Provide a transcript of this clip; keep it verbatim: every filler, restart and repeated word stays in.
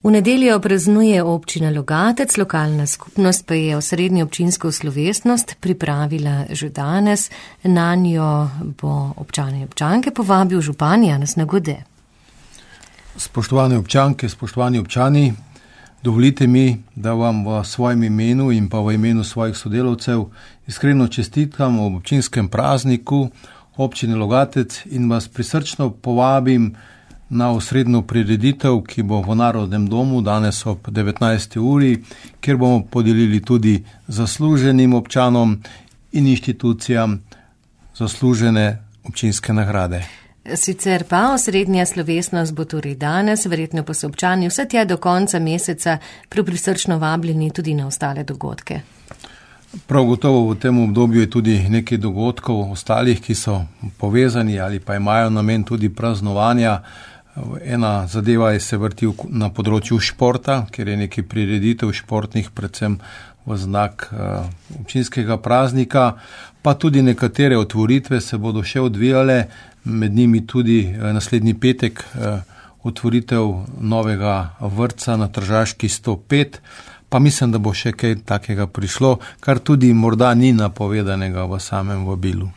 V nedeljo praznuje občina Logatec, lokalna skupnost pa je osrednjo občinsko slovesnost pripravila že danes. Nanjo bo občane in občanke povabil župan Janez Nagode. Spoštovane občanke, spoštovani občani, dovolite mi, da vam v svojem imenu in pa v imenu svojih sodelavcev iskreno čestitam ob občinskem prazniku občine Logatec in vas prisrčno povabim na osrednjo prireditev, ki bo v Narodnem domu danes ob devetnajsti uri, kjer bomo podelili tudi zasluženim občanom in inštitucijam zaslužene občinske nagrade. Sicer pa osrednja slovesnost bo torej danes, verjetno pa so občani vse tja do konca meseca prisrčno vabljeni tudi na ostale dogodke. Prav gotovo v tem obdobju je tudi nekaj dogodkov ostalih, ki so povezani ali pa imajo namen tudi praznovanja. Ena zadeva je se vrti na področju športa, ker je nekaj prireditev športnih, predvsem v znak uh, občinskega praznika, pa tudi nekatere otvoritve se bodo še odvijale, med njimi tudi uh, naslednji petek uh, otvoritev novega vrtca na Tržaški sto pet, pa mislim, da bo še kaj takega prišlo, kar tudi morda ni napovedanega v samem vabilu.